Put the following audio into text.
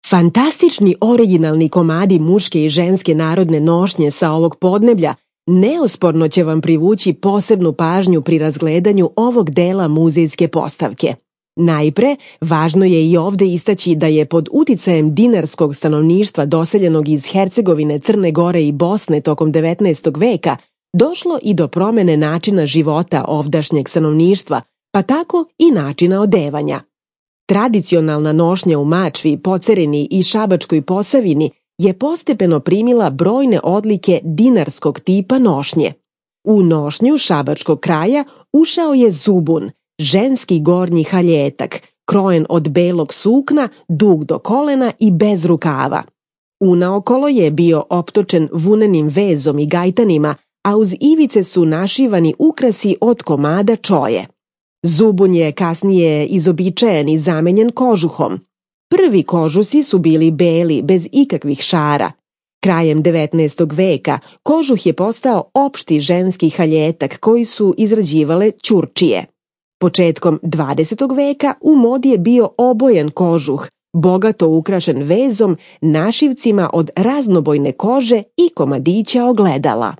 Fantastični originalni komadi muške i ženske narodne nošnje sa ovog podneblja neosporno će vam privući posebnu pažnju pri razgledanju ovog dela muzejske postavke. Najpre, važno je i ovde istaći da je pod uticajem dinarskog stanovništva doseljenog iz Hercegovine, Crne Gore i Bosne tokom 19. veka došlo i do promene načina života ovdašnjeg stanovništva, pa tako i načina odevanja. Tradicionalna nošnja u Mačvi, Pocerini i Šabačkoj Posavini je postepeno primila brojne odlike dinarskog tipa nošnje. U nošnju šabačkog kraja ušao je zubun, ženski gornji haljetak, krojen od belog sukna, dug do kolena i bez rukava. Unaokolo je bio optočen vunenim vezom i gajtanima, a uz ivice su našivani ukrasi od komada čoje. Zubun je kasnije izobičajen i zamenjen kožuhom. Prvi kožusi su bili beli, bez ikakvih šara. Krajem 19. veka kožuh je postao opšti ženski haljetak koji su izrađivale ćurčije. Početkom 20. veka u modi je bio obojen kožuh, bogato ukrašen vezom, našivcima od raznobojne kože i komadića ogledala.